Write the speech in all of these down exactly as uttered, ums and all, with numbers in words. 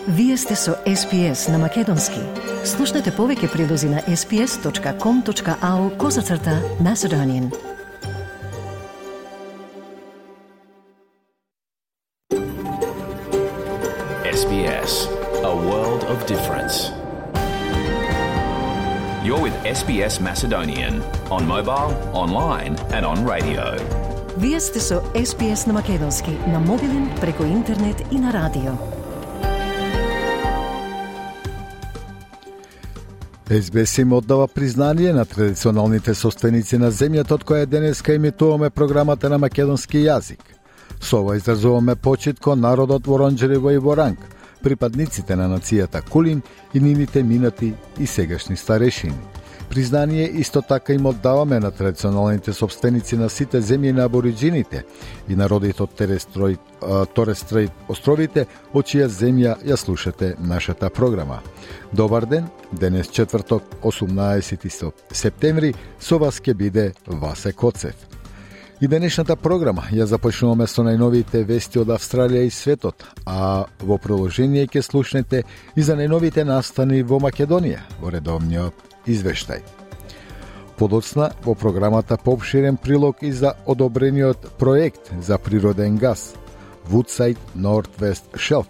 Вие сте со Ес Би Ес на Македонски. Слушнете повеќе прилози на ес би ес точка ком точка ау козацрта Macedonian. Ес Би Ес, a world of difference. You're with Ес Би Ес Macedonian on mobile, online and on radio. Вие сте со Ес Би Ес на Македонски, на мобилен, преку интернет и на радио. Ес Би Ес им оддава признание на традиционалните собственици на земјата од која денеска емитуваме програмата на македонски јазик. Со ова изразуваме почит кон народот во Оранџерево и во Ранг, припадниците на нацијата Кулин и нивните минати и сегашни старешини. Признание исто така им оддаваме на традиционалните собственици на сите земји на абориджините и народите од Торес Стрейт островите, од чија земја ја слушате нашата програма. Добар ден, денес четврток, осумнаесети септември, со вас ќе биде Васе Коцев. И денешната програма ја започнуваме со најновите вести од Австралија и светот, а во продолжение ќе слушнете и за најновите настани во Македонија, во редовниот извештај. Подоцна во програмата поопширен прилог и за одобрениот проект за природен газ Woodside Northwest Shelf,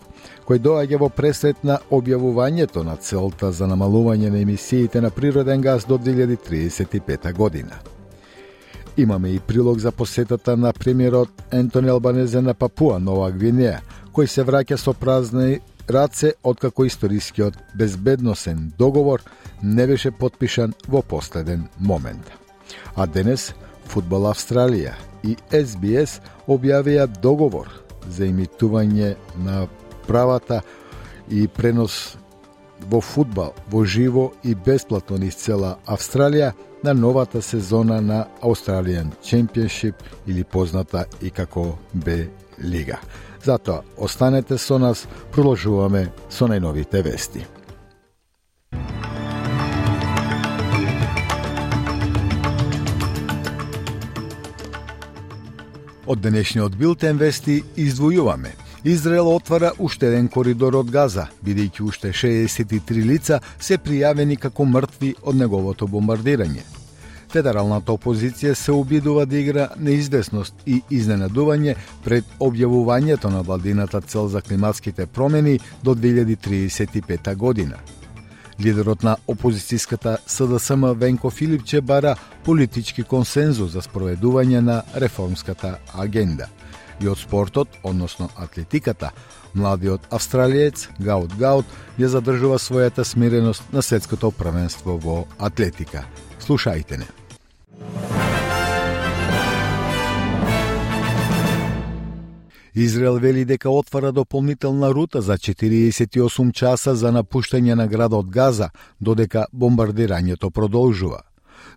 кој доаѓа во пресред на објавувањето на целта за намалување на емисиите на природен газ до две илјади триесет и пета година. Имаме и прилог за посетата на премиерот Ентони Албанезе на Папуа Нова Гвинеја, кој се враќа со празни раце откако историскиот безбедносен договор не беше потпишан во последен момент. А денес Фудбал Австралија и Ес Би Ес објавија договор за емитување на правата и пренос во фудбал во живо и бесплатно низ цела Австралија на новата сезона на Australian Championship или позната и како Б лига. Затоа останете со нас, продолжуваме со најновите вести. Од денешниот билтен вести издвојуваме. Израел отвара уште еден коридор од Газа, бидејќи уште шеесет и три лица се пријавени како мртви од неговото бомбардирање. Федералната опозиција се обидува да игра неизвестност и изненадување пред објавувањето на владината цел за климатските промени до две илјади триесет и пета година. Лидерот на опозицијската С Д С М Венко Филипче бара политички консензус за спроведување на реформската агенда. И од спортот, односно атлетиката, младиот австралиец Гаут Гаут ја задржува својата смиреност на светското првенство во атлетика. Слушајте не. Израел вели дека отвара дополнителна рута за четириесет и осум часа за напуштање на градот Газа, додека бомбардирањето продолжува.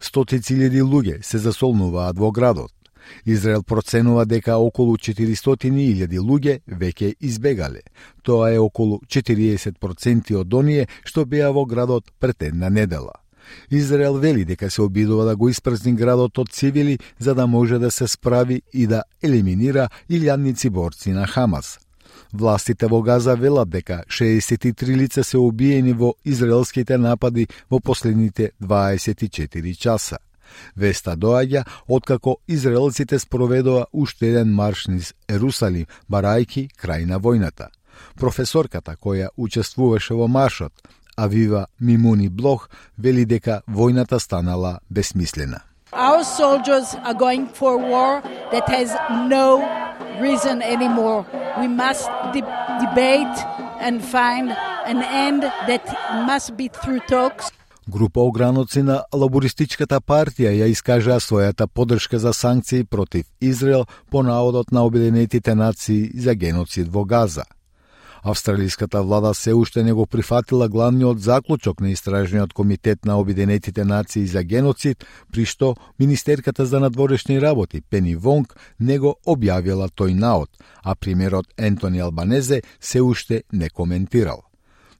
Стотици илјади луѓе се засолнуваат во градот. Израел проценува дека околу четиристотини илјади луѓе веќе избегале. Тоа е околу четириесет проценти од оние што беа во градот пред една недела. Израел вели дека се обидува да го испразни градот од цивили за да може да се справи и да елиминира илјадници борци на Хамас. Властите во Газа велат дека шеесет и три лица се убиени во израелските напади во последните дваесет и четири часа. Веста доаѓа откако израелците спроведоа уште еден марш низ Ерусалим, барајки крај на војната. Професорката која учествуваше во маршот, Авива Мимуни Блох, вели дека војната станала безсмислена. Our soldiers are going for war that has no reason anymore. We must de- debate and find an end that must be through talks. Група ограноци на лабористичката партија ја искажаа својата поддршка за санкции против Израел по наодот на Обединетите нации за геноцид во Газа. Австралиската влада се уште не го прифатила главниот заклучок на Истражниот комитет на Обединетите нации за геноцид, при што Министерката за надворешни работи Пени Вонг не го објавила тој наод, а премиерот Ентони Албанезе се уште не коментирал.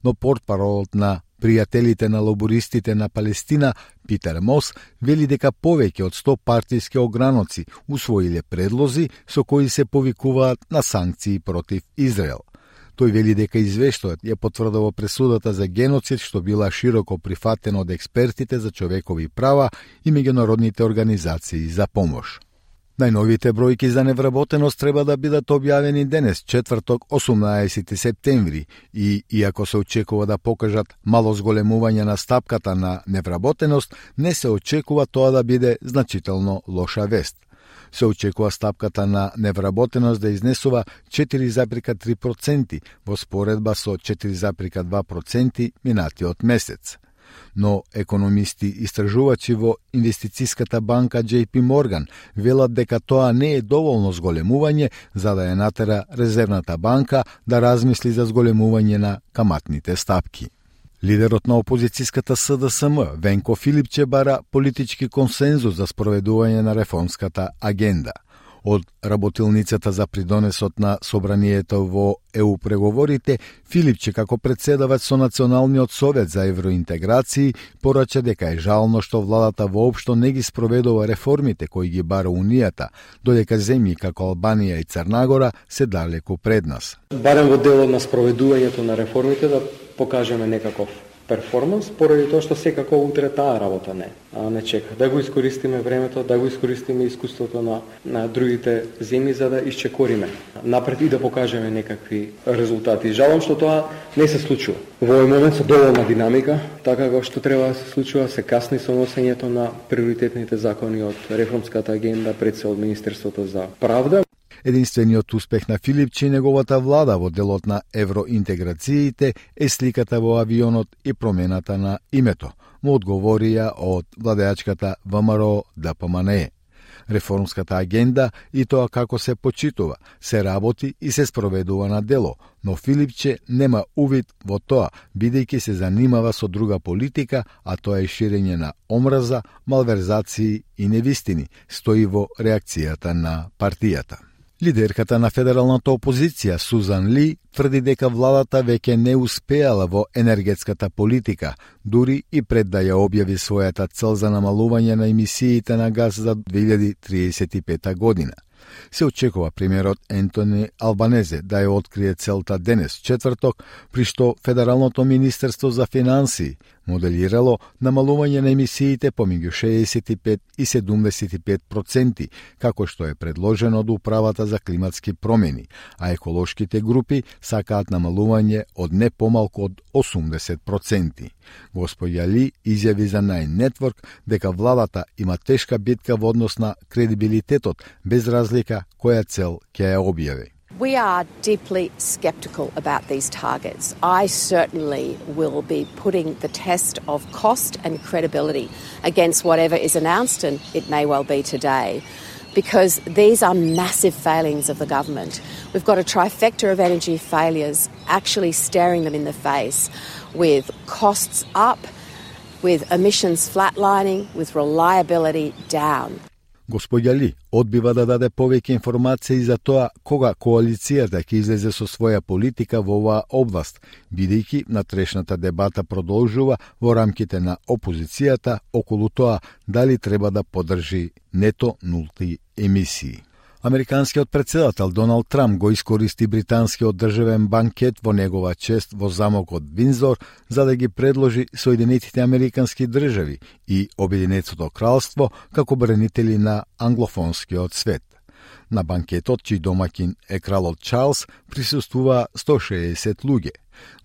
Но портпаролот на пријателите на лабористите на Палестина Питер Мос вели дека повеќе од сто партиски ограноци усвоиле предлози со кои се повикуваат на санкции против Израел. Тој вели дека извештајот ја потврдува пресудата за геноцид што била широко прифатена од експертите за човекови права и меѓународните организации за помош. Најновите бројки за невработеност треба да бидат објавени денес, четврток, осумнаесети септември, и иако се очекува да покажат мало зголемување на стапката на невработеност, не се очекува тоа да биде значително лоша вест. Се очекува стапката на невработеност да изнесува четири зарез три проценти во споредба со четири зарез два проценти минатиот месец. Но економисти истражувачи во инвестицијската банка J P Morgan велат дека тоа не е доволно зголемување за да ја натера Резервната банка да размисли за зголемување на каматните стапки. Лидерот на опозицијската С D S M Венко Филипче бара политички консензус за спроведување на реформската агенда. Од работилницата за придонесот на собранието во Е У преговорите, Филипче како председавач со Националниот совет за евроинтеграции порача дека е жално што владата воопшто не ги спроведува реформите кои ги бара Унијата, додека земји како Албанија и Црнагора се далеку пред нас. Барем во делот на спроведувањето на реформите да покажеме некаков перформанс, поради тоа што секако утре таа работа не, а не чека. Да го искористиме времето, да го искористиме искуството на, на другите земји за да исчекориме напред и да покажеме некакви резултати. Жалам што тоа не се случува. Во овој момент со доволна динамика, така како што треба да се случува, се касни со носењето на приоритетните закони од реформската агенда, пред се од Министерството за правда. Единствениот успех на Филипче и неговата влада во делот на евроинтеграциите е сликата во авионот и промената на името, му одговорија од владеачката В M R O Д P M N E. Реформската агенда и тоа како се почитува, се работи и се спроведува на дело, но Филипче нема увид во тоа, бидејќи се занимава со друга политика, а тоа е ширење на омраза, малверзации и невистини, стои во реакцијата на партијата. Лидерката на федералната опозиција Сузан Ли тврди дека владата веќе не успеала во енергетската политика, дури и пред да ја објави својата цел за намалување на емисиите на газ за две илјади триесет и пета година. Се очекува премиерот Ентони Албанезе да ја открие целта денес, четврток, при што Федералното министерство за финансии моделирало намалување на емисиите помеѓу шеесет и пет и седумдесет и пет проценти, како што е предложено од Управата за климатски промени, а еколошките групи сакаат намалување од не помалку од осумдесет проценти. Господја Ли изјави за Nine Network дека владата има тешка битка во однос на кредибилитетот, без разлика која цел ќе ја објави. We are deeply sceptical about these targets. I certainly will be putting the test of cost and credibility against whatever is announced, and it may well be today, because these are massive failings of the government. We've got a trifecta of energy failures actually staring them in the face, with costs up, with emissions flatlining, with reliability down. Господја Ли одбива да даде повеќе информации за тоа кога коалицијата ќе излезе со своја политика во оваа област, бидејќи натрешната дебата продолжува во рамките на опозицијата околу тоа дали треба да поддржи нето нулти емисии. Американскиот председател Доналд Трамп го искористи британскиот државен банкет во негова чест во замокот Виндзор за да ги предложи Соединетите Американски држави и Обединетото кралство како бранители на англофонскиот свет. На банкетот, чиј домаќин е кралот Чарлс, присуствува сто шеесет луѓе.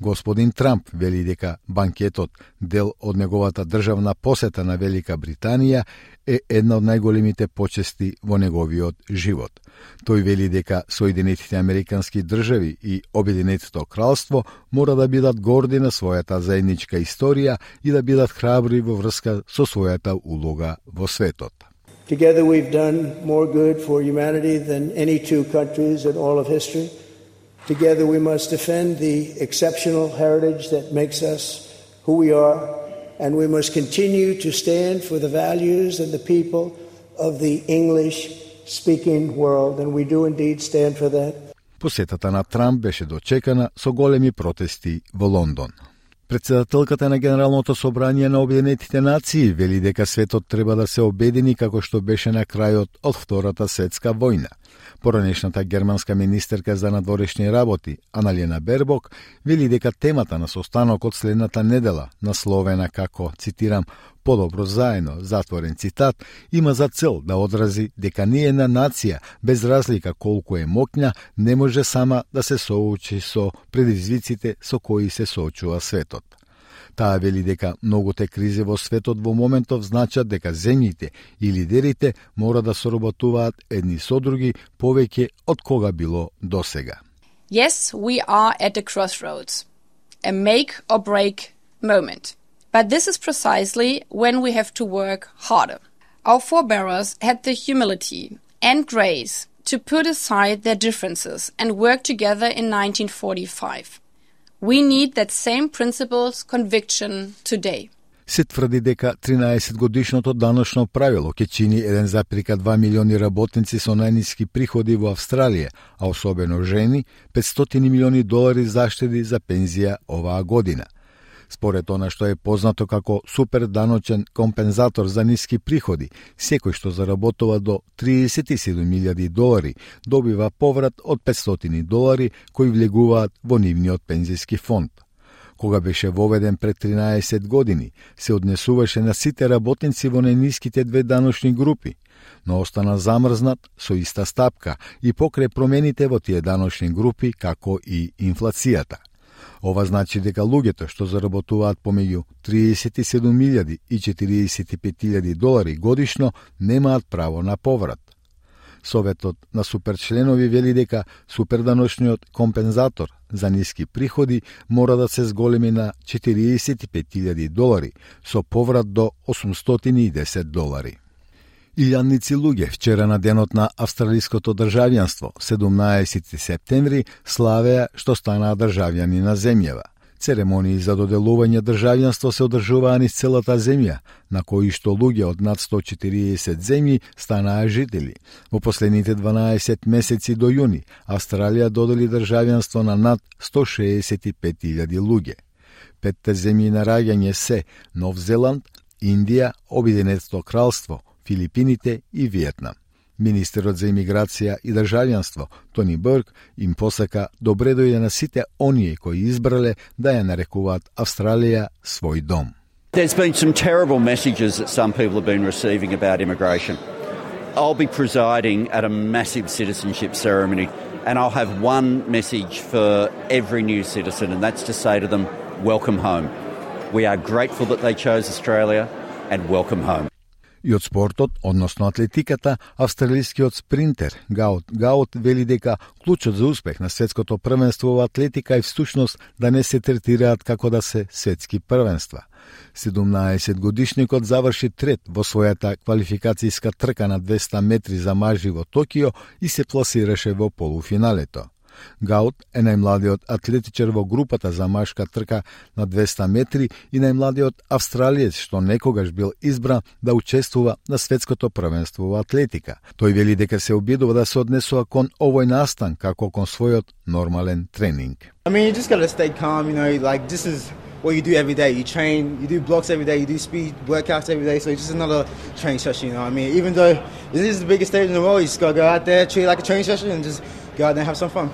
Господин Трамп вели дека банкетот, дел од неговата државна посета на Велика Британија, е една од најголемите почести во неговиот живот. Тој вели дека Соединетите Американски држави и Обединетото кралство мора да бидат горди на својата заедничка историја и да бидат храбри во врска со својата улога во светот. Together we've done more good for humanity than any two countries in all of history. Together we must defend the exceptional heritage that makes us who we are, and we must continue to stand for the values and the people of the English-speaking world, and we do indeed stand for that. Посетата на Трамп беше дочекана со големи протести во Лондон. Председателката на Генералното собрание на Обединетите нации вели дека светот треба да се обедини како што беше на крајот од Втората светска војна. Поранешната германска министерка за надворешни работи, Аналена Бербок, вели дека темата на состанокот следната недела, насловена како, цитирам, "Подобро заедно", затворен цитат, има за цел да одрази дека ниедна нација, без разлика колку е моќна, не може сама да се соочи со предизвиците со кои се соочува светот. Таа вели дека многуте кризи во светот во моментов значат дека земјите и лидерите мора да соработуваат едни со други повеќе од кога било досега. Yes, we are at a crossroads, a make or break moment. But this is precisely when we have to work harder. Our forebears had the humility and grace to put aside their differences and work together in nineteen forty-five. We need that same principles conviction today. Се тврди дека тринаесет годишното даночно правило ќе чини еден запир два милиони работници со најниски приходи во Австралија, а особено жени, петстотини милиони долари заштеди за пензија оваа година. Според она што е познато како супер даночен компензатор за ниски приходи, секој што заработува до триесет и седум милијади долари добива поврат од петстотини долари кои влегуваат во нивниот пензиски фонд. Кога беше воведен пред тринаесет години, се однесуваше на сите работници во најниските две даночни групи, но остана замрзнат со иста стапка и покрај промените во тие даночни групи како и инфлацијата. Ова значи дека луѓето што заработуваат помеѓу триесет и седум милијади и четириесет и пет илјади долари годишно немаат право на поврат. Советот на суперчленови вели дека суперданочниот компензатор за ниски приходи мора да се зголеми на четириесет и пет илјади долари со поврат до осумстотини и десет долари. Илјадници луѓе вчера на денот на австралиското државјанство, седумнаесети септември, славеа што станаа државјани на земјава. Церемонии за доделување државјанство се одржуваа низ целата земја, на кои што луѓе од над сто и четириесет земји станаа жители. Во последните дванаесет месеци до јуни, Австралија додели државјанство на над сто шеесет и пет илјади луѓе. Петте земји на раѓање се Нов Зеланд, Индија, Обединетото кралство, Филипините и Виетнам. Министерот за имиграција и државјанство Тони Бурк им посака добре дојде на сите оние кои избрале да ја нарекуваат Австралија свој дом. There's been some terrible messages that some people have been receiving about immigration. I'll be presiding at a massive citizenship ceremony and I'll have one message for every new citizen, and that's to say to them, welcome home. We are grateful that they chose Australia and welcome home. И од спортот, односно атлетиката, австралискиот спринтер Гаут Гаут вели дека клучот за успех на светското првенство во атлетика е всушност да не се третираат како да се светски првенства. седумнаесет годишникот заврши трет во својата квалификацијска трка на двеста метри за мажи во Токио и се пласираше во полуфиналето. Гаут е најмладиот атлетичар во групата за машка трка на двеста метри и најмладиот австралиец што некогаш бил избран да учествува на светското првенство во атлетика. Тој вели дека се обидува да се однесува кон овој настан како кон својот нормален тренинг. I mean, you just gotta stay calm, you know, like this is what you do every day. You train, you do blocks every day, you do speed workouts every day, so it's just another training session, you know what I mean? Even though this is the biggest stage in the world, you just gotta go out there, treat it like a training session and just go out there and have some fun.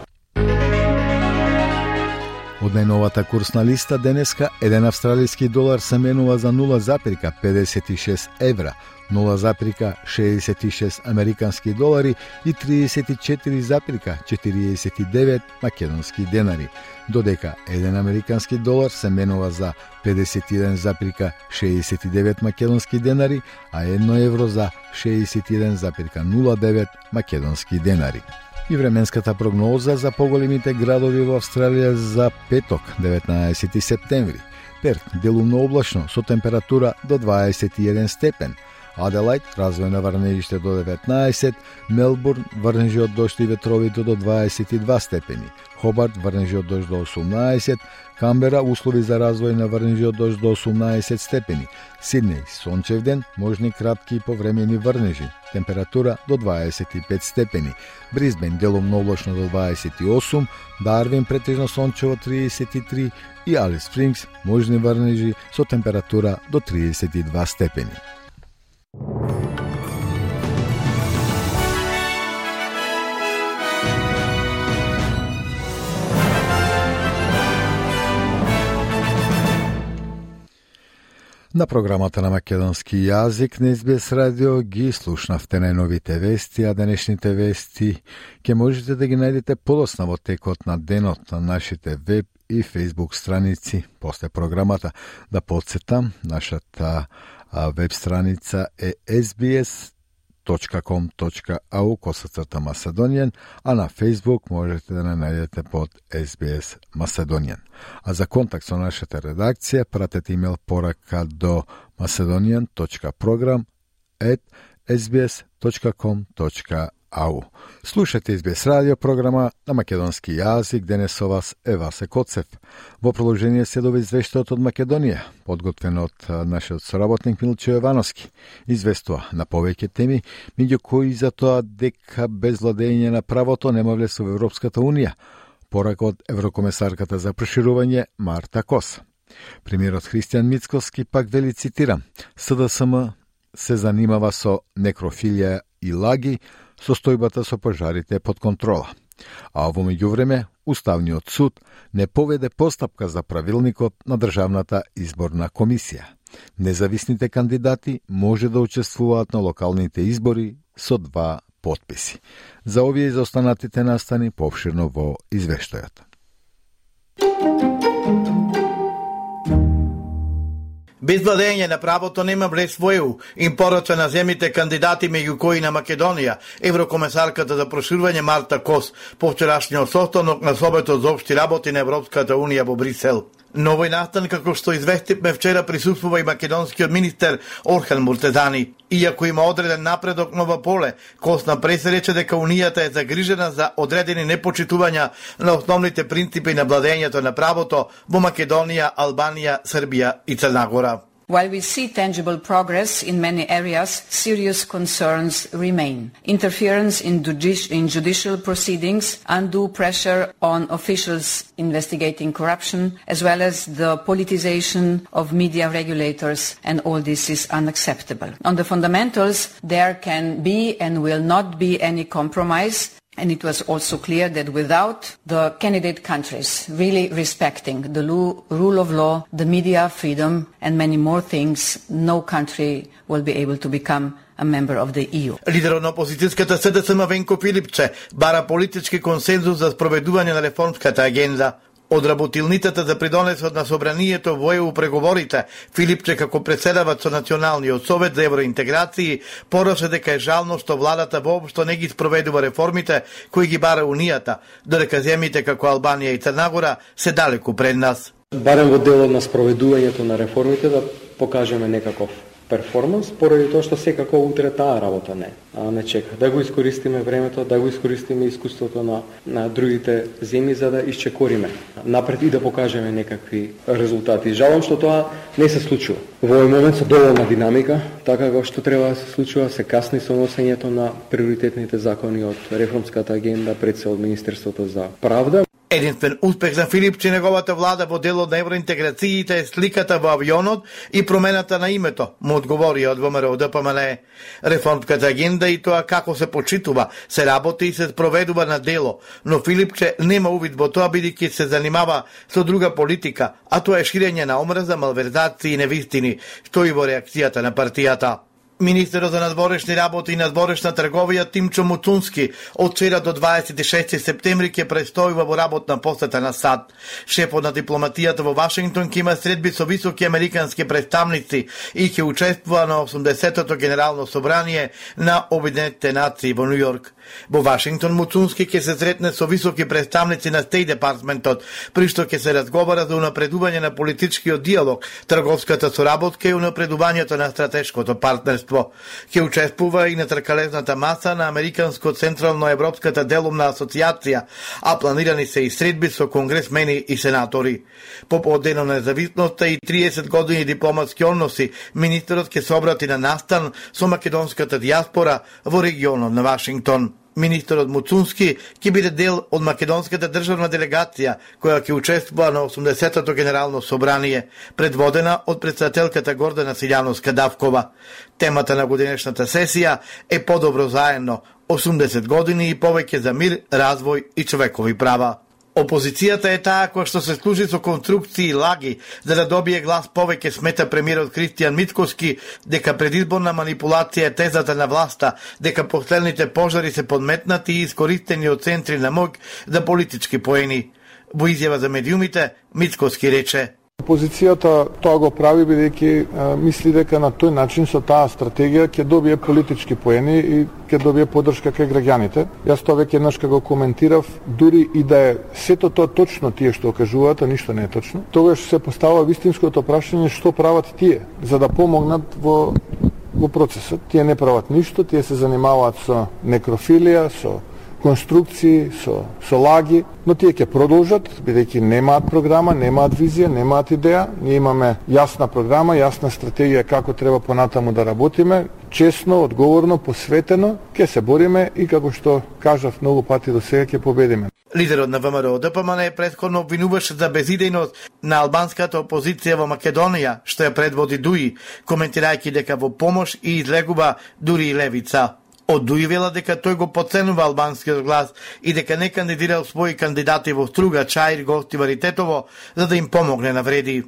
Од најновата курсна листа денеска еден австралиски долар се менува за нула запир педесет и шест евра, нула запир шеесет и шест американски долари и триесет и четири запир четириесет и девет македонски денари, додека еден американски долар се менува за педесет и еден запир шеесет и девет македонски денари, а едно евро за шеесет и еден запир нула девет македонски денари. И временската прогноза за поголемите градови во Австралија за петок, деветнаесети септември. Перт, делумно облачно, со температура до дваесет и еден степен. Аделајд, развојна врнежиште до деветнаесет, Мелбурн, врнежи од дожд и ветровите до дваесет и два степени, Хобарт, врнежи од дожд до осумнаесет, Камбера, услови за развој на врнежи од дожд до осумнаесет степени, Сиднеј, сончев ден, можни кратки и повремени врнежи, температура до дваесет и пет степени, Брисбен, делумно облачно до дваесет и осум, Дарвин, претежно сончево триесет и три и Алис Спрингс, можни врнежи со температура до триесет и два степени. На програмата на македонски јазик на Ес Би Ес радио ги слушнавте најновите вести, а денешните вести ќе можете да ги најдете подоцна во текот на денот на нашите веб и фейсбук страници. После програмата да подсетам, нашата веб страница е ес би ес точка ком точка ей ю косацрта Macedonian, а на Facebook можете да не најдете под Ес Би Ес Macedonian. А за контакт со нашата редакција пратете имејл порака до macedonian точка program at ес би ес точка ком точка ей ю. Слушате Ес Би Ес радио програма на македонски јазик. Денес со вас е Васе Коцев. Во продолжение следува извештајот од Македонија, подготвен од нашиот соработник Милчо Јовановски. Известува на повеќе теми, меѓу кои за тоа дека без владење на правото нема влез во Европската Унија, порака од еврокомесарката за проширување Марта Кос. Премиерот Христијан Мицкоски пак вели, цитирам: С Д С М се занимава со некрофилија и лаги, состојбата со пожарите е под контрола. А во меѓувреме, Уставниот суд не поведе постапка за правилникот на Државната изборна комисија. Независните кандидати може да учествуваат на локалните избори со два потписи. За овие и за останатите настани повширно во извештајот. Без владење на правото нема влез во Е Ю, им порача на земјите кандидати меѓу кои на Македонија, еврокомесарката за проширување Марта Кос по вчерашниот состанок на Советот за општи работи на Европската Унија во Брисел. На овој настан, како што известивме вчера, присуствува и македонскиот министер Орхан Муртезани. Иако има одреден напредок на ова поле, Кос напресе рече дека Унијата е загрижена за одредени непочитувања на основните принципи на владењето на правото во Македонија, Албанија, Србија и Црна Гора. While we see tangible progress in many areas, serious concerns remain. Interference in, judici- in judicial proceedings, undue pressure on officials investigating corruption, as well as the politicization of media regulators, and all this is unacceptable. On the fundamentals, there can be and will not be any compromise. And it was also clear that without the candidate countries really respecting the lo- rule of law, the media freedom, and many more things, no country will be able to become a member of the E U. Лидерот на опозицијската С Д С М Венко Филипче бара политички консензус за спроведување на реформската агенда. Од работилницата за придонесот на собранието во Е Ю преговорите, Филипче како председавач со Националниот совет за евроинтеграции порача дека е жално што владата воопшто не ги спроведува реформите кои ги бара Унијата, додека земјите како Албанија и Црна Гора се далеку пред нас. Барем во делот на спроведувањето на реформите да покажеме некаков перформанс, поради тоа што секако утре таа работа не, а не чека. Да го искористиме времето, да го искористиме искуството на, на другите земји за да исчекориме напред и да покажеме некакви резултати. Жалам што тоа не се случува. Во овој момент со доволна динамика, така како што треба да се случува, се касни со носењето на приоритетните закони од реформската агенда, пред се од Министерството за правда. Единствен успех за Филипче и неговата влада во делот на евроинтеграциите е сликата во авионот и промената на името, му одговори од Во М Р Д П М Л. Реформската агенда и тоа како се почитува, се работи и се спроведува на дело, но Филипче нема увид во тоа бидејќи се занимава со друга политика, а тоа е ширење на омраза, малверзации и невистини, што и во реакцијата на партијата. Министерот за надворешни работи и надворешна трговија Тимчо Муцунски од вчера до дваесет и шести септември ќе престојува во работна посета на САД. Шефот на дипломатијата во Вашингтон ќе има средби со високи американски представници и ќе учествува на осумдесетото генерално собрание на Обединетите нации во Нью Йорк. Во Вашингтон Муцунски ќе се сретне со високи представници на Стејт департментот, при што ќе се разговара за унапредување на политичкиот диалог, трговската соработка и унапредувањето на стратешкото партнерство. Ќе учествува и на тркалезната маса на Американско централно европската делумна асоцијација, а планирани се и средби со конгресмени и сенатори. По повод на независноста и триесет години дипломатски односи, министерот ќе се обрати на настан со македонската дијаспора во регионот на Вашингтон. Министерот Муцунски ќе биде дел од македонската државна делегација која ќе учествува на осумдесетото генерално собрание, предводена од претседателката Гордана Силјановска-Давкова. Темата на годинешната сесија е подобро заедно, осумдесет години и повеќе за мир, развој и човекови права. Опозицијата е таа која што се служи со конструкции и лаги за да добие глас повеќе, смета премиерот Христијан Мицкоски, дека предизборна манипулација е тезата на власта, дека последните пожари се подметнати и искористени од центри на моќ за политички поени. Во изјава за медиумите, Мицкоски рече: Опозицијата тоа го прави бидејќи мисли дека на тој начин со таа стратегија ќе добие политички поени и ќе добие поддршка кај граѓаните. Јас тоа веќе еднаш го коментирав, дури и да е сето тоа точно тие што кажуваат, а ништо не е точно. Тогаш се поставува вистинското прашање што прават тие за да помогнат во во процесот. Тие не прават ништо, тие се занимаваат со некрофилија, со конструкции, со, со лаги, но тие ќе продолжат, бидејќи немаат програма, немаат визија, немаат идеја. Ние имаме јасна програма, јасна стратегија како треба понатаму да работиме, честно, одговорно, посветено, ќе се бориме и како што кажав многу пати до сега ќе победиме. Лидерот на ВМРО Д П М Н претходно обвинуваше за безидејност на албанската опозиција во Македонија, што ја предводи Дуи, коментирајќи дека во помош и излегува дури и левица. Од Дуи вела дека тој го подценува албанскиот глас и дека не кандидирал своји кандидати во Струга, Чаир, Гостивар и Тетово за да им помогне на вреди.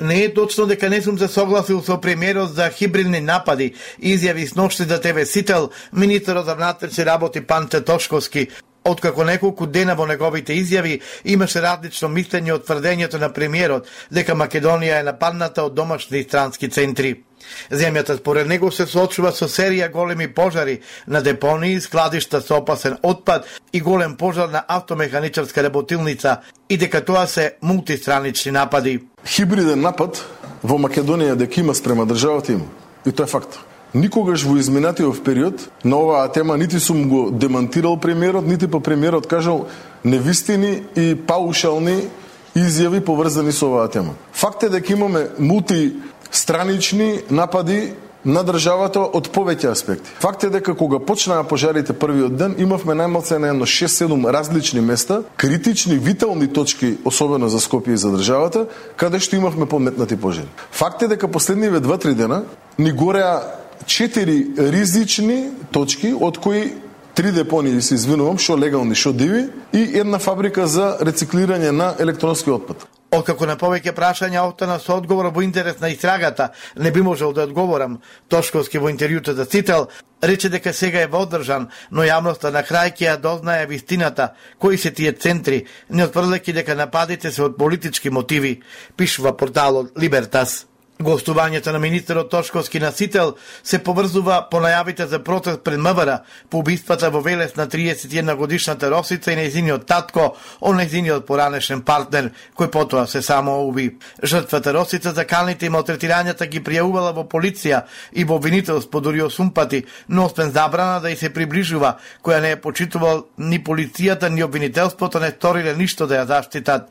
Не е точно дека не сум се согласил со премиерот за хибридни напади, изјави сношти за Т В Сител министерот за внатрешни работи Панче Тошковски. Откако неколку дена во неговите изјави имаше различно мислење од тврдењето на премиерот дека Македонија е нападната од домашни и странски центри. Земјата според него се соочува со серија големи пожари на депонии, складишта со опасен отпад и голем пожар на автомеханичарска работилница и дека тоа се мултистранични напади. Хибриден напад во Македонија дека има спрема државата има. И тоа е факт. Никогаш во изминатиот период на оваа тема нити сум го демантирал премиерот, нити па премиерот кажал невистини и паушални изјави поврзани со оваа тема. Факт е дека имаме мултистранични напади на државата од повеќе аспекти. Факт е дека кога почнаа пожарите првиот ден, имавме најмалку на едно шест-седум различни места, критични, витални точки, особено за Скопје и за државата, каде што имавме подметнати пожари. Факт е дека последниве два-три дена ни гореа четири ризични точки, од кои три депонии, се извинувам, шо легални, шо диви, и една фабрика за рециклирање на електронски отпад. Откако на повеќе прашања остана со одговор во интерес на истрагата, не би можел да одговорам. Тошковски во интервјуто за Цител рече дека сега е водржан, но јавноста на крај ќе ја дознае вистината, кои се тие центри, не отврлејќи дека нападите се од политички мотиви, пишува порталот Либертас. Гостувањето на министерот Тошковски на Сител се поврзува по најавите за протест пред МВР по убиствата во Велес на триесет и една годишната Росица и нејзиниот татко, он нејзиниот поранешен партнер, кој потоа се само уби. Жртвата Росица за калните и малтретирањата ги пријавувала во полиција и во обвинителство дури осум пати, но освен забрана да и се приближува, која не е почитувал ни полицијата, ни обвинителството не сториле ништо да ја заштитат.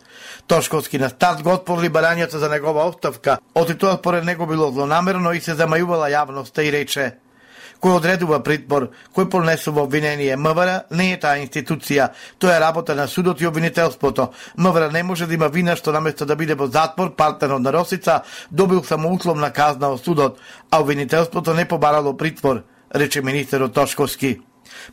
Тошковски на старт го отпорли барањето за негова оставка, оти тоа според него било злонамерно и се замајувала јавноста и рече: кој одредува притвор, кој понесува обвинение, МВР не е таа институција, тоа е работа на судот и обвинителството. МВР не може да има вина што наместо да биде во затвор, партнерот на Росица добил само условна казна од судот, а обвинителството не побарало притвор, рече министерот Тошковски.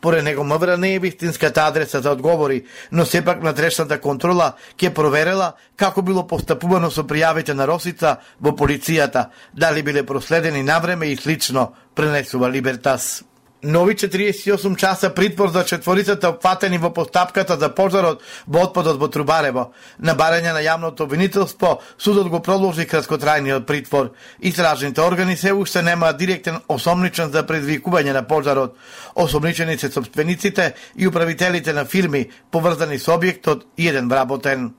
Поред него МВР не е вистинската адреса за одговори, но сепак внатрешната контрола ќе проверела како било постапувано со пријавите на Росица во полицијата, дали биле проследени навреме и слично, пренесува Либертас. Нови четириесет и осум часа притвор за четворицата опфатени во постапката за пожарот во отпадот во Трубарево. На барање на јавното обвинителство, судот го продолжи краткотрајниот притвор. Истражните органи се уште немаат директен осомничен за предизвикување на пожарот. Осомничени се сопствениците и управителите на фирми, поврзани со објектот и еден вработен.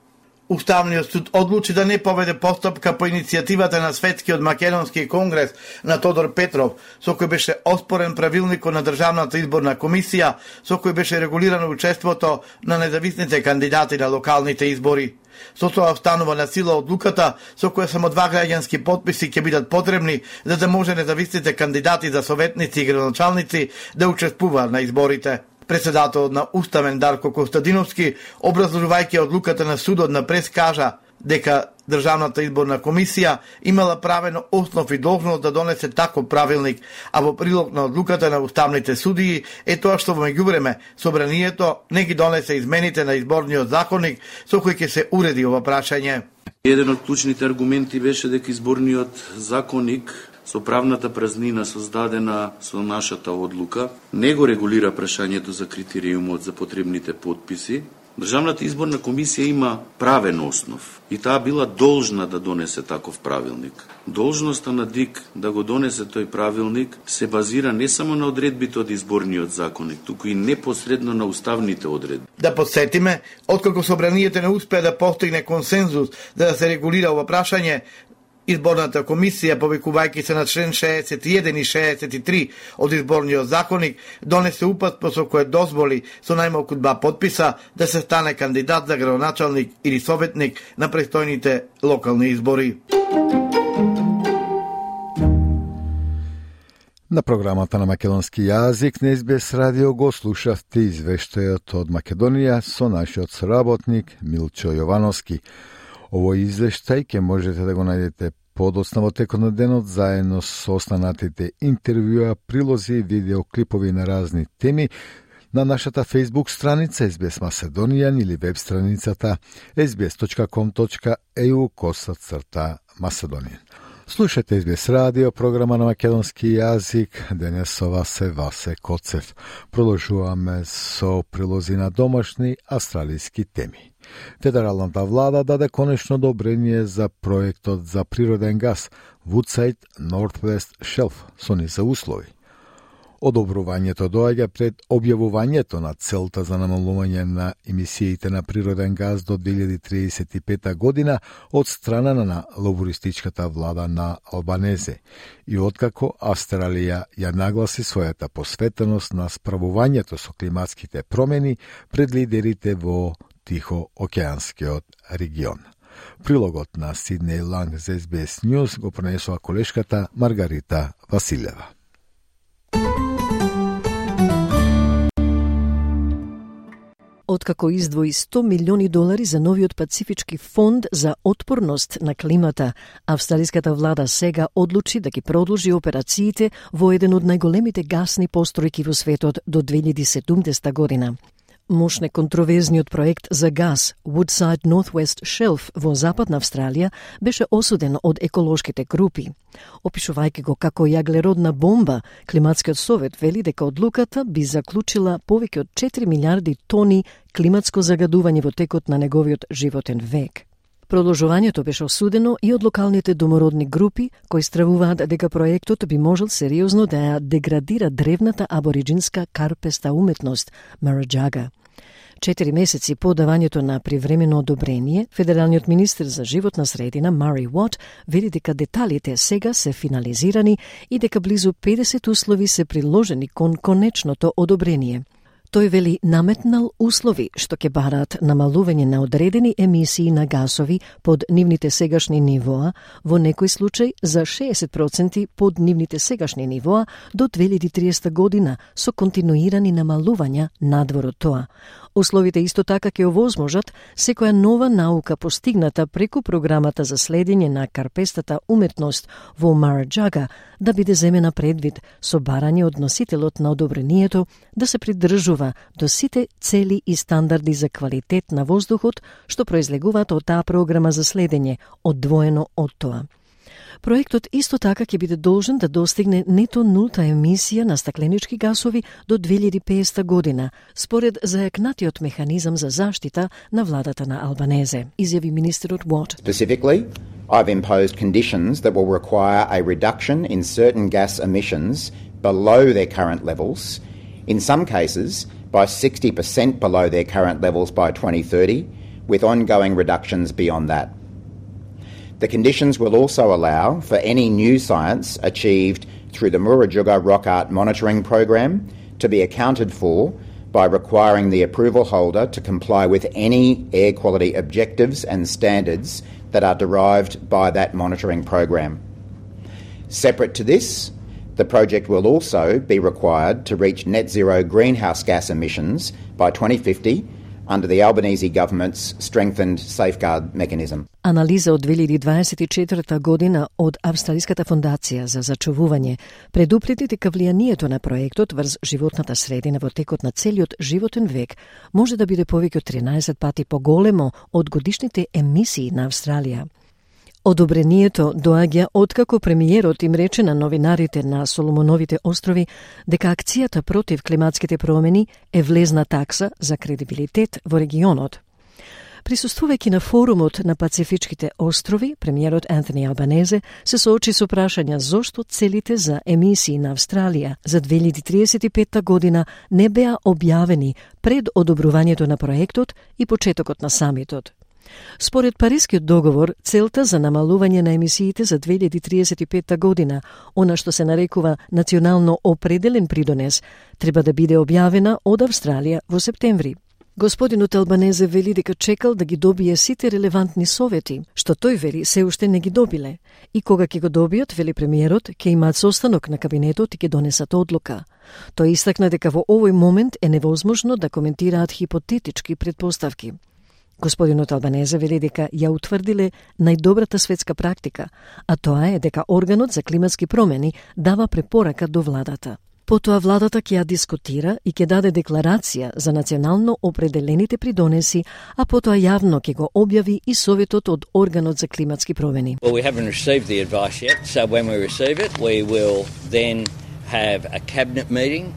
Уставниот суд одлучи да не поведе постапка по иницијативата на Светскиот македонски конгрес на Тодор Петров, со кој беше оспорен правилникот на Државната изборна комисија, со кој беше регулирано учеството на независните кандидати на локалните избори. Со тоа останува на сила одлуката со која само два граѓански потписи ќе бидат потребни за да може независните кандидати за советници и градоначалници да учествуваат на изборите. Председателот на Уставен Дарко Костадиновски, образложувајќи одлуката на судот на прес, кажа дека Државната изборна комисија имала правено основ и должност да донесе таков правилник, а во прилог на одлуката на уставните судии е тоа што во меѓувреме собранието не ги донесе измените на изборниот законник со кои ќе се уреди ова прашање. Еден од клучните аргументи беше дека изборниот законник со правната празнина создадена со нашата одлука не го регулира прашањето за критериумот за потребните потписи. Државната изборна комисија има правен основ и таа била должна да донесе таков правилник. Должноста на ДИК да го донесе тој правилник се базира не само на одредбите од изборниот законник, туку и непосредно на уставните одредби. Да подсетиме, откако собранието не успеа да постигне консензус за да се регулира ова прашање, Изборната комисија, повикувајќи се на член шеесет и еден и шеесет и три од изборниот законник, донесе упатство со кое дозволи со најмалку два подписа да се стане кандидат за градоначалник или советник на престојните локални избори. На програмата на македонски јазик на Ес Би Ес радио го слушавте извештајот од Македонија со нашиот соработник Милчо Јовановски. Овој извештај ќе можете да го најдете подоцна во текот на денот заедно со останатите интервјуа, прилози и видеоклипови на разни теми на нашата Facebook страница Ес Би Ес Macedonian или веб страницата ес би ес точка ком точка е ю коса црта Macedonian. Слушате Ес Би Ес радио, програма на македонски јазик. Денес со вас е Васе Коцев. Продолжуваме со прилози на домашни австралиски теми. Федералната влада даде конечно одобрение за проектот за природен газ Woodside Northwest Shelf со низа услови. Одобрувањето доаѓа пред објавувањето на целта за намалување на емисиите на природен газ до две илјади триесет и пета година од страна на лабористичката влада на Албанезе и откако Австралија ја нагласи својата посветеност на справувањето со климатските промени пред лидерите во Тихоокеанскиот регион. Прилогот на Сиднеј Ланг за Ес Би Ес News го пренесува колешката Маргарита Василева. Откако издвои сто милиони долари за новиот Пацифички фонд за отпорност на климата, австралиската влада сега одлучи да ги продолжи операциите во еден од најголемите гасни постројки во светот до две илјади и седумдесета година. Мощне контроверзниот проект за газ Woodside Northwest Shelf во Западна Австралија беше осуден од еколошките групи. Опишувајќи го како јаглеродна бомба, Климатскиот совет вели дека одлуката би заклучила повеќе од четири милиарди тони климатско загадување во текот на неговиот животен век. Продолжувањето беше осудено и од локалните домородни групи, кои стравуваат дека проектот би можел сериозно да ја деградира древната абориджинска карпеста уметност Мараџага. Четири месеци по давањето на привремено одобрение, федералниот министер за животна средина Мари Уот вели дека деталите сега се финализирани и дека близу педесет услови се приложени кон конечното одобрение. Тој вели наметнал услови што ќе бараат намалување на одредени емисии на гасови под нивните сегашни нивоа, во некој случај за шеесет проценти под нивните сегашни нивоа до две илјади и триесета година со континуирани намалувања надвор од тоа. Условите исто така ќе овозможат секоја нова наука постигната преку програмата за следење на карпестата уметност во Мараџага да биде земена предвид со барање од носителот на одобрението да се придржува до сите цели и стандарди за квалитет на воздухот што произлегуваат од таа програма за следење, одвоено од тоа. Проектот исто така ќе биде должен да достигне нето нулта емисија на стакленички гасови до две илјади и педесета година, според зајакнатиот механизам за заштита на владата на Албанезе, изјави министерот Уот. Specifically, I've imposed conditions that will require a reduction in certain gas emissions below their current levels, in some cases by sixty percent below their current levels by twenty thirty, with ongoing reductions beyond that. The conditions will also allow for any new science achieved through the Murujuga Rock Art Monitoring Program to be accounted for by requiring the approval holder to comply with any air quality objectives and standards that are derived by that monitoring program. Separate to this, the project will also be required to reach net zero greenhouse gas emissions by twenty fifty under the Albanese government's strengthened safeguard mechanism. Анализа од две илјади дваесет и четврта година од Австралиската фондација за зачувување предупреди дека влијанието на проектот врз животната средина во текот на целиот животен век може да биде повеќе од тринаесет пати поголемо од годишните емисии на Австралија. Одобрението доаѓа откако премиерот им рече на новинарите на Соломоновите острови дека акцијата против климатските промени е влезна такса за кредибилитет во регионот. Присуствувајќи на форумот на Пацифичките острови, премиерот Антони Албанезе се соочи со прашања зошто целите за емисии на Австралија за две илјади триесет и петта година не беа објавени пред одобрувањето на проектот и почетокот на самитот. Според Парискиот договор, целта за намалување на емисиите за две илјади триесет и петта година, она што се нарекува национално определен придонес, треба да биде објавена од Австралија во септември. Господинот Албанезе вели дека чекал да ги добие сите релевантни совети, што тој вели се уште не ги добиле. И кога ќе го добијат, вели премиерот, ќе имаат состанок на кабинетот и ќе донесат одлука. Тој истакна дека во овој момент е невозможно да коментираат хипотетички предпоставки. Господинот Албанезе вели дека ја утврдиле најдобрата светска практика, а тоа е дека органот за климатски промени дава препорака до владата. Потоа владата ќе ја дискутира и ќе даде декларација за национално определените придонеси, а потоа јавно ќе го објави и советот од органот за климатски промени. Well, we haven't received the advice yet, so when we receive it, we will then have a cabinet meeting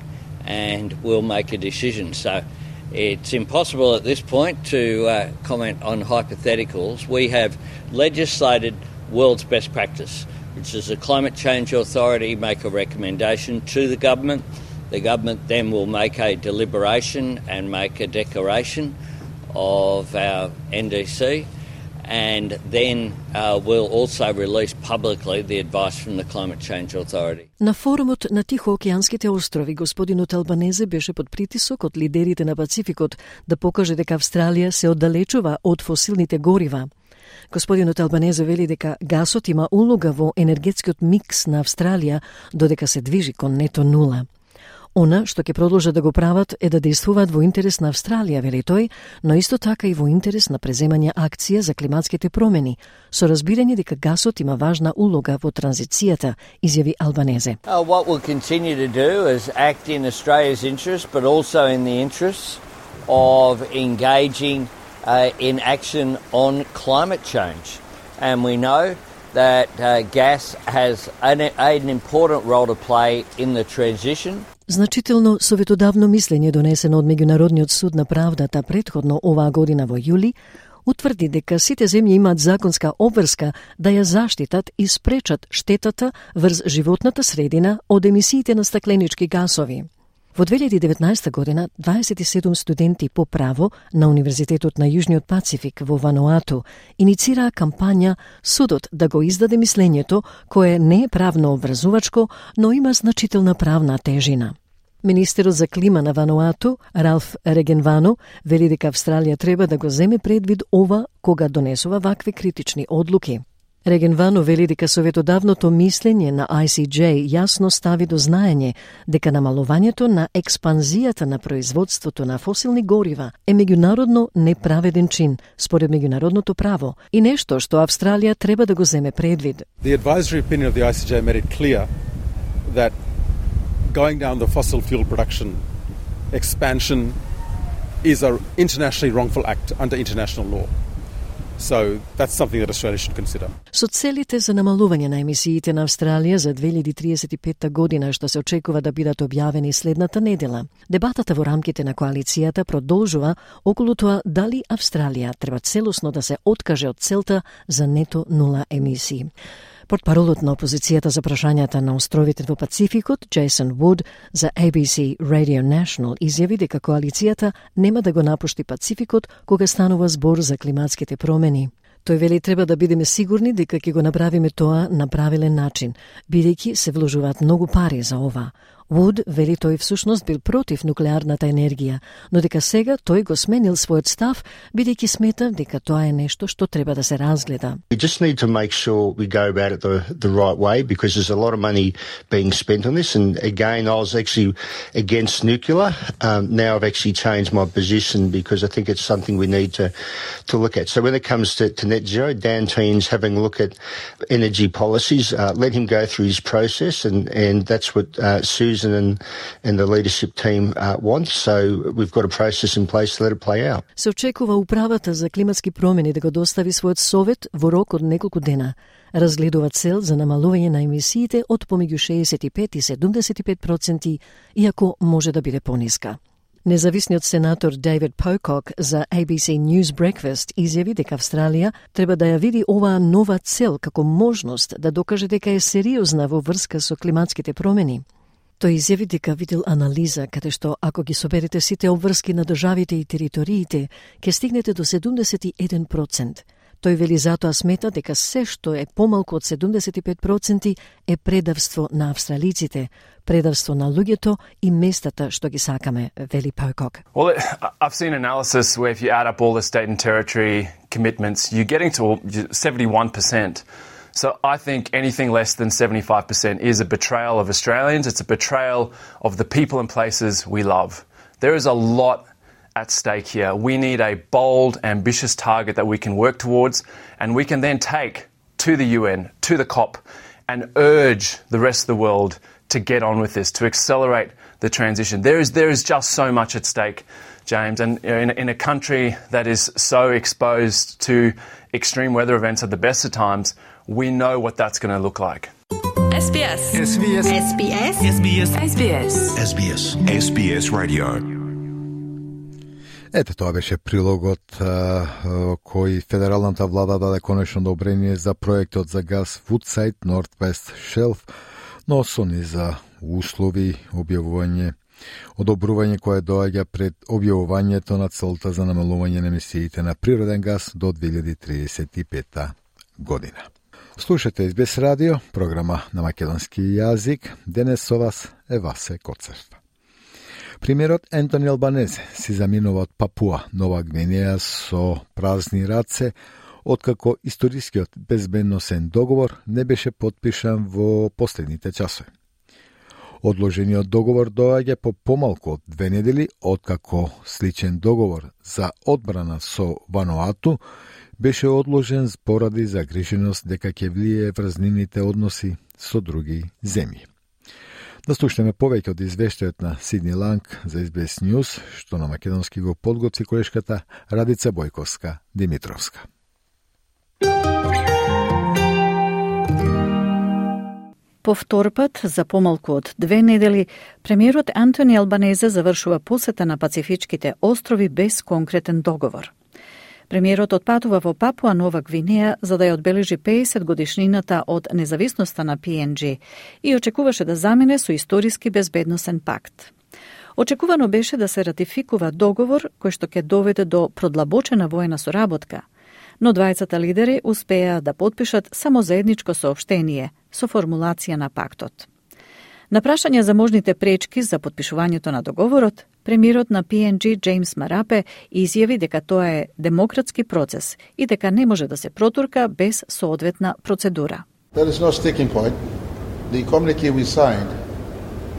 and we'll make a decision. So it's impossible at this point to uh, comment on hypotheticals. We have legislated world's best practice, which is the Climate Change Authority make a recommendation to the government. The government then will make a deliberation and make a declaration of our N D C, and then uh, we'll also release publicly the advice from the Climate Change Authority. На форумот на Тихоокеанските острови господинот Албанезе беше под притисок од лидерите на Пацификот да покаже дека Австралија се оддалечува од фосилните горива. Господинот Албанезе вели дека гасот има улога во енергетскиот микс на Австралија додека се движи кон нето нула. Она што ќе продолжат да го прават е да действуваат во интерес на Австралија, вели тој, но исто така и во интерес на преземање акција за климатските промени, со разбирање дека гасот има важна улога во транзицијата, изјави Албанезе. Uh, what we'll continue to do is act in Australia's interest, but also in the interest of engaging uh, in action on climate change. And we know that uh, gas has an, an important role to play in the transition. Значително советодавно мислење донесено од Меѓународниот суд на правдата претходно оваа година во јули утврди дека сите земји имаат законска обврска да ја заштитат и спречат штетата врз животната средина од емисиите на стакленички гасови. Во две илјади и деветнаесетта година дваесет и седум студенти по право на Универзитетот на Јужниот Пацифик во Вануату иницираа кампања судот да го издаде мислењето кое не е правно обврзувачко, но има значителна правна тежина. Министерот за клима на Вануату, Ралф Регенвано, вели дека Австралија треба да го земе предвид ова кога донесува вакви критични одлуки. Регенвано вели дека советодавното мислење на I C J јасно стави до знаење дека намалувањето на експанзијата на производството на фосилни горива е меѓународно неправеден чин според меѓународното право и нешто што Австралија треба да го земе предвид. The advisory opinion of the I C J made it clear that going down the fossil fuel production expansion is an internationally wrongful act under international law. So that's something that Australia should consider. Со целите за намалување на емисиите на Австралија за две илјади триесет и петта година што се очекува да бидат објавени следната недела, дебатата во рамките на коалицијата продолжува околу тоа дали Австралија треба целосно да се откаже од целта за нето нула емисии. Портпаролот на опозицијата за прашањата на островите во Пацификот, Джейсон Вуд, за A B C Radio National изјави дека коалицијата нема да го напушти Пацификот кога станува збор за климатските промени. Тој вели треба да бидеме сигурни дека ќе го направиме тоа на правилен начин, бидејќи се вложуваат многу пари за ова. Вуд вели тој всушност бил против нуклеарната енергија, но дека сега тој го сменил својот став, бидејќи смета дека тоа е нешто што треба да се разгледа. We just need to make sure we go about it the, the right way, because there's a lot of money being spent on this. And again, I was actually against nuclear. Um, now I've actually changed my position because I think it's something we need to, to look at. So when it comes to, to net zero, Dan Teen's having a look at energy policies. Uh, let him go through his process, and, and that's what uh, Susan and, and the leadership team uh, want. So we've got a process in place to let it play out. Се очекува управата за климатски промени да го достави својот совет во рок од неколку дена. Разгледува цел за намалување на емисиите од помеѓу шеесет и пет и седумдесет и пет проценти, иако може да биде пониска. Независниот сенатор Дейвид Покок за A B C News Breakfast изјави дека Австралија треба да ја види оваа нова цел како можност да докаже дека е сериозна во врска со климатските промени. Тој изјави дека видел анализа каде што ако ги соберете сите обврски на државите и териториите, ќе стигнете до седумдесет и еден процент. Тој вели затоа смета дека се што е помалку од седумдесет и пет проценти е предавство на австралиците, предавство на луѓето и местата што ги сакаме, вели Покок. Well, I've seen analysis where if you add up all the state and territory commitments, you're getting to seventy-one percent. So I think anything less than seventy-five percent is a betrayal of Australians. It's a betrayal of the people and places we love. There is a lot at stake here. We need a bold, ambitious target that we can work towards, and we can then take to the U N, to the COP, and urge the rest of the world to get on with this, to accelerate the transition. There is there is just so much at stake, James, and you know, in, in a country that is so exposed to extreme weather events at the best of times, we know what that's going to look like. S B S. S B S. S B S. S B S. S B S. S B S. S B S Radio. Ете, тоа беше прилогот а, кој федералната влада даде конечно одобрение за проектот за газ Woodside Northwest Shelf, но сони за услови објавување, одобрување кое доаѓа пред објавувањето на целта за намалување на емисиите на природен газ до две илјади триесет и пета година. Слушате Ес Би Ес радио, програма на македонски јазик. Денес со вас е Васе Коцев. Премиерот Ентони Албанезе си заминува од Папуа, Нова Гвинеја со празни раце, откако историскиот безбедносен договор не беше подпишан во последните часови. Одложениот договор доаѓа по помалку од две недели, откако сличен договор за одбрана со Вануату беше одложен поради загриженост дека ќе влијае врз нивните односи со други земји. Да слушнеме повеќе од извештајот на Сидни Ланг за Ес Би Ес News, што на македонски го подготви колешката Радица Бојковска Димитровска. По втор пат, за помалку од две недели, премиерот Антони Албанезе завршува посета на Пацифичките острови без конкретен договор. Премиерот отпатува во Папуа Нова Гвинеја за да ја одбележи пеесет годишнината од независноста на Пи Ен Джи и очекуваше да замине со историски безбедносен пакт. Очекувано беше да се ратификува договор кој што ќе доведе до продлабочена воена соработка, но двајцата лидери успеа да подпишат само заедничко соопштение со формулација на пактот. На прашање за можните пречки за подпишувањето на договорот, премиерот на Пи Ен Джи Джеймс Марапе изјави дека тоа е демократски процес и дека не може да се протурка без соодветна процедура. There is no sticking point. The communique we signed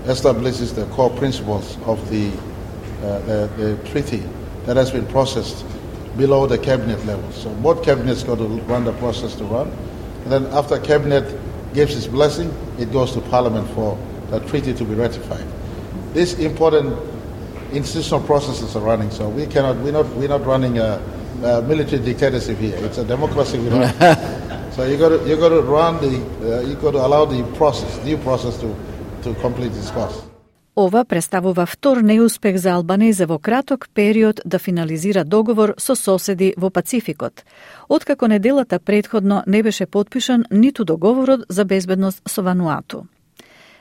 establishes the core principles of the, uh, the, the treaty that has been processed below the cabinet level. So both cabinets got to run the process to run. And then after cabinet gives its blessing, it goes to parliament for the treaty to be ratified. These important institutional processes are running, so we cannot, we're not, we're not running a, a military dictatorship here. It's a democracy we run. So you got to, you got to run the, uh, you got to allow the process, due process to, to complete its course. Ова представува втор неуспех за Албанезе во краток период да финализира договор со соседи во Пацификот, откако неделата претходно не беше подпишан ниту договорот за безбедност со Вануату.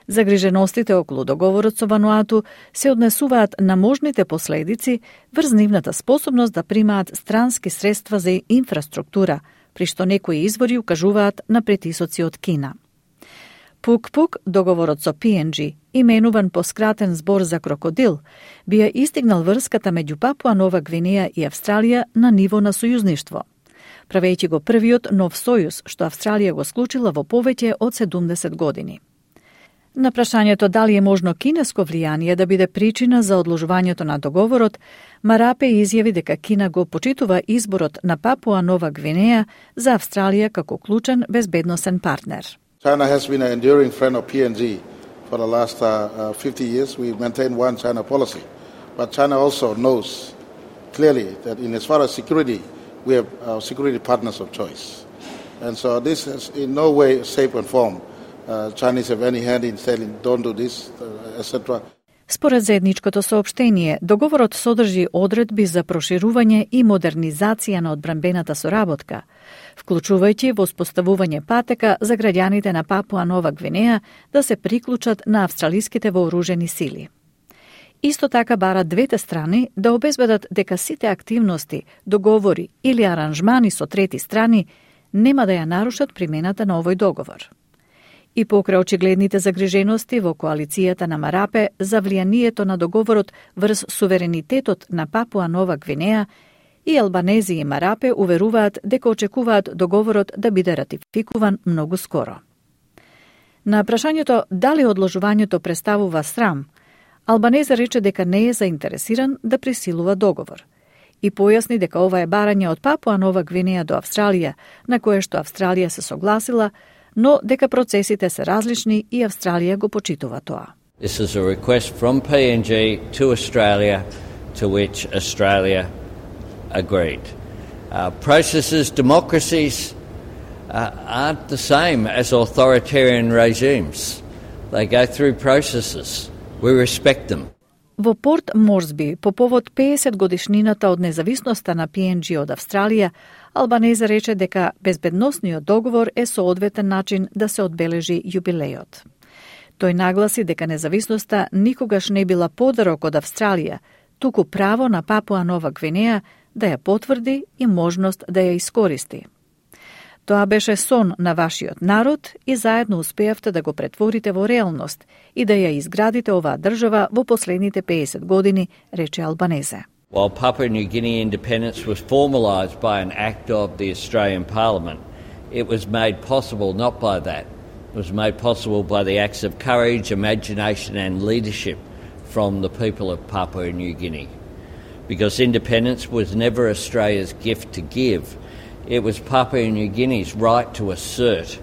Загриженостите околу договорот со Вануату се однесуваат на можните последици врз нивната способност да примаат странски средства за инфраструктура, при што некои извори укажуваат на притисоци од Кина. Пук-пук, договорот со Пи Ен Джи, именуван по скратен збор за крокодил, би ја истигнал врската меѓу Папуа Нова Гвинеја и Австралија на ниво на сојузништво, правејќи го првиот нов сојуз што Австралија го склучила во повеќе од седумдесет години. На прашањето дали е можно кинеско влијание да биде причина за одложувањето на договорот, Марапе изјави дека Кина го почитува изборот на Папуа Нова Гвинеја за Австралија како клучен безбедносен партнер. China has been an enduring friend of P N G for the last uh, uh, fifty years. We maintain one China policy. But China also knows clearly that in as far as security, we have our security partners of choice. And so this is in no way, shape and form. Uh, Chinese have any hand in saying don't do this, uh, et cetera. Според заедничкото соопштение, договорот содржи одредби за проширување и модернизација на одбранбената соработка, вклучувајќи воспоставување патека за граѓаните на Папуа Нова Гвинеја да се приклучат на австралиските вооружени сили. Исто така бара двете страни да обезбедат дека сите активности, договори или аранжмани со трети страни нема да ја нарушат примената на овој договор. И покрај очигледните загрижености во коалицијата на Марапе за влијанието на договорот врз суверенитетот на Папуа Нова Гвинеја, и Албанези и Марапе уверуваат дека очекуваат договорот да биде ратификуван многу скоро. На прашањето дали одложувањето представува срам, Албанезе рече дека не е заинтересиран да присилува договор и појасни дека ова е барање од Папуа Нова Гвинеја до Австралија, на кое што Австралија се согласила, но дека процесите се различни и Австралија го почитува тоа. This is a request from P N G to Australia, to which Australia agreed. Uh, processes, democracies uh, aren't the same as authoritarian regimes. They go through processes. We respect them. Во Порт Морсби, по повод педесет годишнината од независноста на Пи Ен Джи од Австралија, Албанезе рече дека безбедносниот договор е соодветен начин да се одбележи јубилејот. Тој нагласи дека независноста никогаш не била подарок од Австралија, туку право на Папуа Нова Гвинеја да ја потврди и можност да ја искористи. Тоа беше сон на вашиот народ и заедно успеавте да го претворите во реалност и да ја изградите оваа држава во последните педесет години, рече Албанезе. While Papua New Guinea independence was formalised by an act of the Australian Parliament, it was made possible not by that. It was made possible by the acts of courage, imagination and leadership from the people of Papua New Guinea. Because independence was never Australia's gift to give. It was Papua New Guinea's right to assert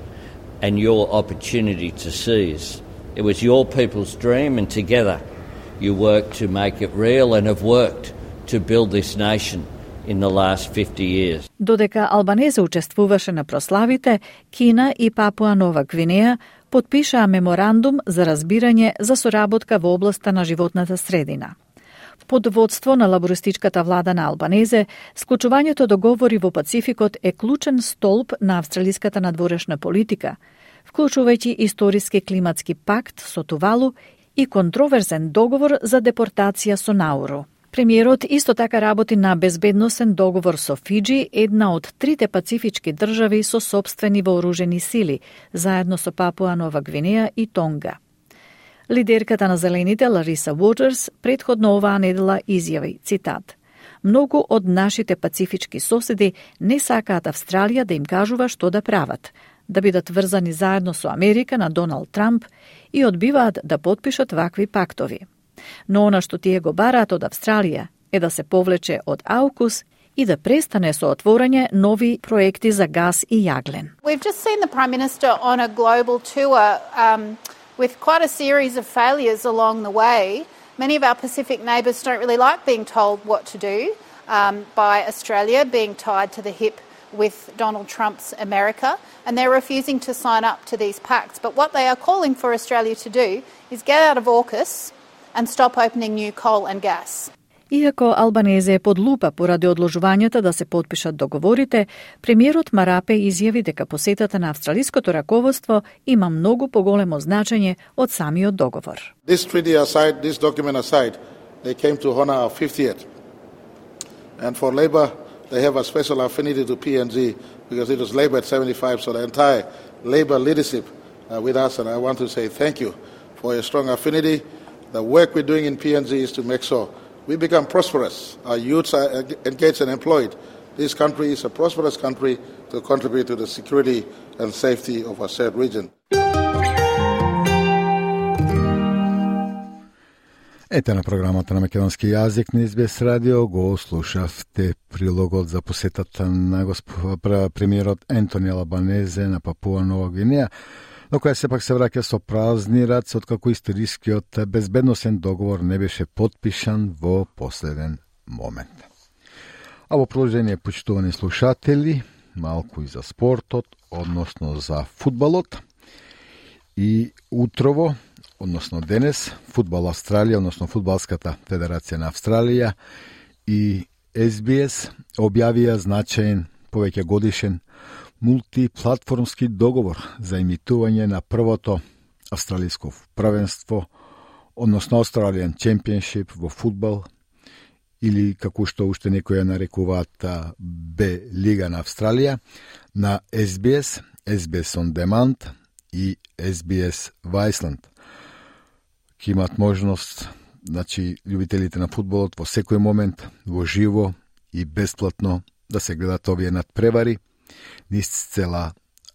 and your opportunity to seize. It was your people's dream, and together you worked to make it real and have worked to build this nation in the last fifty years. Додека Албанезе учествуваше на прославите, Кина и Папуа Нова Гвинеја потпишаа меморандум за разбирање за соработка во областа на животната средина. Под водство на лабористичката влада на Албанезе, склучувањето договори во Пацификот е клучен столб на австралиската надворешна политика, вклучувајќи историски климатски пакт со Тувалу и контроверзен договор за депортација со Науру. Премиерот исто така работи на безбедносен договор со Фиџи, една од трите пацифички држави со сопствени вооружени сили, заедно со Папуа Нова Гвинеја и Тонга. Лидерката на Зелените, Лариса Уотерс, предходно оваа недела изјави, цитат: "Многу од нашите пацифички соседи не сакаат Австралија да им кажува што да прават, да бидат врзани заедно со Америка на Доналд Трамп и одбиваат да потпишат вакви пактови. Но она што тие го бараат од Австралија е да се повлече од аукус и да престане со отворање нови проекти за газ и јаглен." We've just seen the Prime Minister on a global tour um, with quite a series of failures along the way. Many of our Pacific neighbours don't really like being told what to do um, by Australia being tied to the hip with Donald Trump's America, and they're refusing to sign up to these pacts. But what they are calling for Australia to do is get out of AUKUS and stop opening new coal and gas. Иако Албанезе е под лупа поради одложувањата да се потпишат договорите, премиерот Марапе изјави дека посетата на австралиското раководство има многу поголемо значење од самиот договор. This treaty aside, this document aside, they came to honor our fiftieth. And for Labour, they have a special affinity to P N G because it was Labour at seventy-five, so the entire Labour leadership uh, with us, and I want to say thank you for your strong affinity. The work we're doing in P N Z is to make sure we become prosperous. Our youths are engaged and employed. This country is a prosperous country to contribute to the security and safety of our shared region. Ете на програмата на македонски јазик на Ес Би Ес радио го слушавте прилогот за посетата на госп... премиерот Ентони Албанезе на Папуа Нова Гвинеја, но која сепак се враќа со празни раце откако историскиот безбедносен договор не беше потпишан во последен момент. А во продолжение, почитувани слушатели, малку и за спортот, односно за фудбалот. И утрово, односно денес, Фудбал Австралија, односно Фудбалската федерација на Австралија и Ес Би Ес објавија значаен, повеќе годишен мултиплатформски договор за имитување на првото австралиско првенство, односно Australian Championship во фудбал, или како што уште некои ја нарекуваат Б лига на Австралија, на Ес Би Ес, Ес Би Ес On Demand и Ес Би Ес Viceland. Ке имат можност, значи, љубителите на фудбалот во секој момент, во живо и бесплатно да се гледат овие надпревари низ цела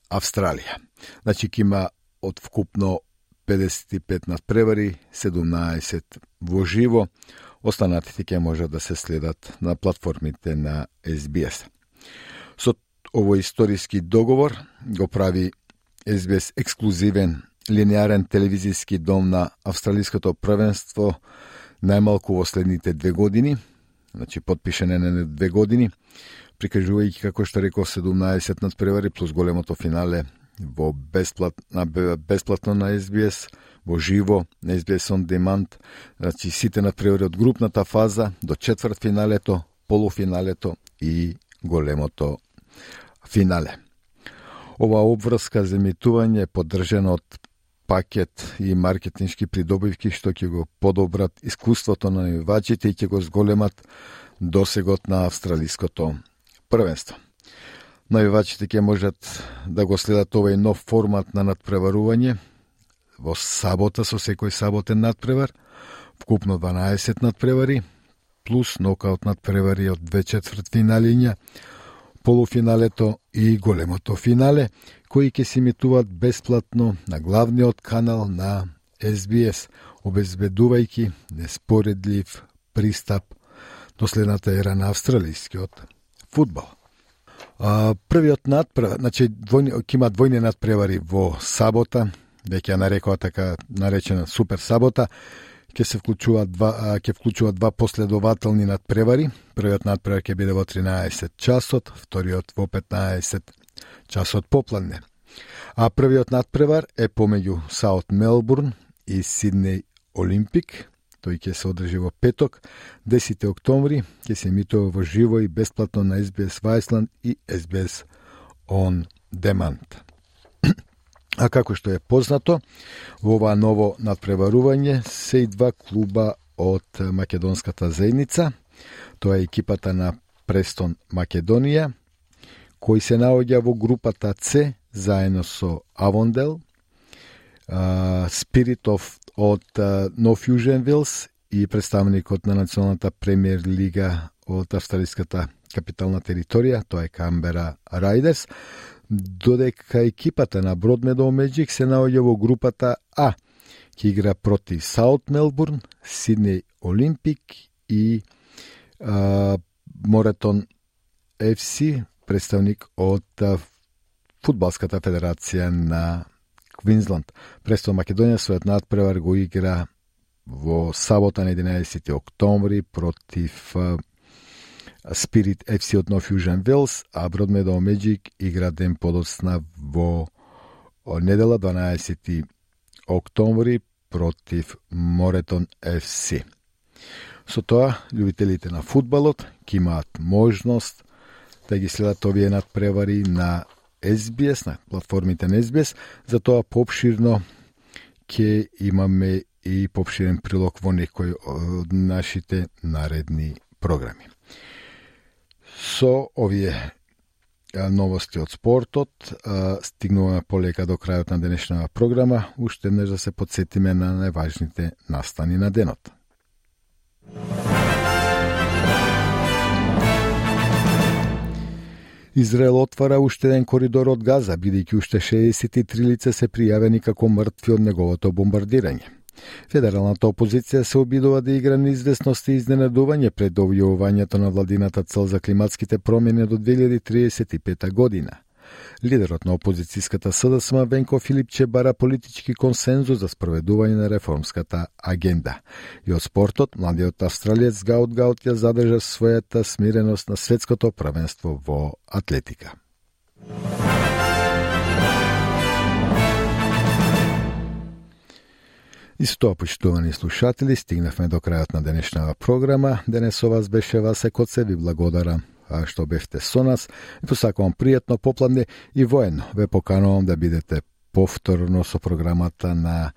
Австралија. Значи, ке има од вкупно педесет и пет надпревари, седумнаесет во живо, останатите ќе можат да се следат на платформите на Ес Би Ес. Со овој историски договор го прави Ес Би Ес ексклузивен линеарен телевизиски дом на австралиското првенство најмалку во следните две години, значи потпишане на две години, прикажувајќи, како што реков, седумнаесет надпревари плюс големото финале во бесплатно, бесплатно на Ес Би Ес, во живо на Ес Би Ес On Demand, значи сите надпревари од групната фаза до четвртфиналето, полуфиналето и големото финале. Ова обврска за емитување е поддржана од пакет и маркетиншки придобивки што ќе го подобрат искуството на најувачите и ќе го зголемат досегот на австралиското првенство. Најувачите ќе можат да го следат овој нов формат на надпреварување во сабота со секој саботен надпревар, вкупно дванаесет надпревари, плюс нокаут надпревари од две четвртфиналиња, полуфиналето и големото финале, кои ќе се емитуваат бесплатно на главниот канал на Ес Би Ес, обезбедувајќи неспоредлив пристап до следната ера на австралискиот фудбал. А, првиот надпревар, значи ќе има двојни надпревари во сабота, веќе ја нарекува така наречена супер сабота, ќе се вклучуваат два, ќе вклучуваат два последователни надпревари. Првиот надпревар ќе биде во тринаесет часот, вториот во петнаесет часот попладне. А првиот надпревар е помеѓу Саут Мелбурн и Сиднеј Олимпик. Тој ќе се одржи во петок, десети октомври, ќе се емитува во живо и бесплатно на Ес Би Ес Viceland и Ес Би Ес On Demand. А како што е познато, во ова ново надпреварување се и два клуба од македонската заедница. Тоа е екипата на Престон Македонија, кој се наоѓа во групата С заедно со Авондел, Spirit of од No Fusion Wheels и представникот на националната премиер лига од австралиската капитална територија, тоа е Камбера Райдерс, додека екипата на Broadmeadow Magic се наоѓа во групата А, ќе игра против Саут Мелбурн, Сиднеј Олимпик и а, Моретон Еф Си, представник од а, Фудбалската федерација на Квинсленд. Престон Македонија својот надпревар го игра во сабота на единаесети октомври против а, Spirit Еф Си од No Fusion Wheels, а Broadmeadow Magic игра ден подоцна во недела дванаесети октомври против Моретон Еф Си. Со тоа, љубителите на фудбалот ќе имаат можност да ги следат овие надпревари на Ес Би Ес, на платформите на Ес Би Ес, за тоа поопширно ќе имаме и поопширен прилог во некој од нашите наредни програми. Со овие новости од спортот. Стигнуваме полека до крајот на денешната програма. Уште еднаш да се подсетиме на најважните настани на денот. Израел отвара уште еден коридор од Газа, бидејќи уште шеесет и три лица се пријавени како мртви од неговото бомбардирање. Федералната опозиција се обидува да игра неизвестност и изненадување пред објавувањето на владината цел за климатските промени до две илјади триесет и пета година. Лидерот на опозицијската СДСМ Венко Филипче бара политички консензус за спроведување на реформската агенда. И од спортот, младиот австралиец Гаут Гаут ја задржа својата смиреност на светското првенство во атлетика. И со тоа, почитувани слушатели, стигнавме до крајот на денешната програма. Денес со вас беше Васе Коце, ви благодарам што бевте со нас. И посакувам пријатно попладне и воено. Ве поканувам да бидете повторно со програмата на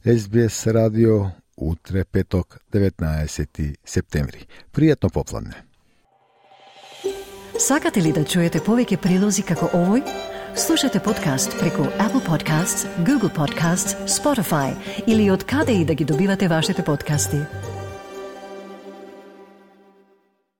Ес Би Ес радио утре петок деветнаесети септември. Пријатно попладне. Сакате ли да чуете повеќе прилози како овој? Слушате подкаст преку Apple Podcasts, Google Podcasts, Spotify или од каде и да ги добивате вашите подкасти.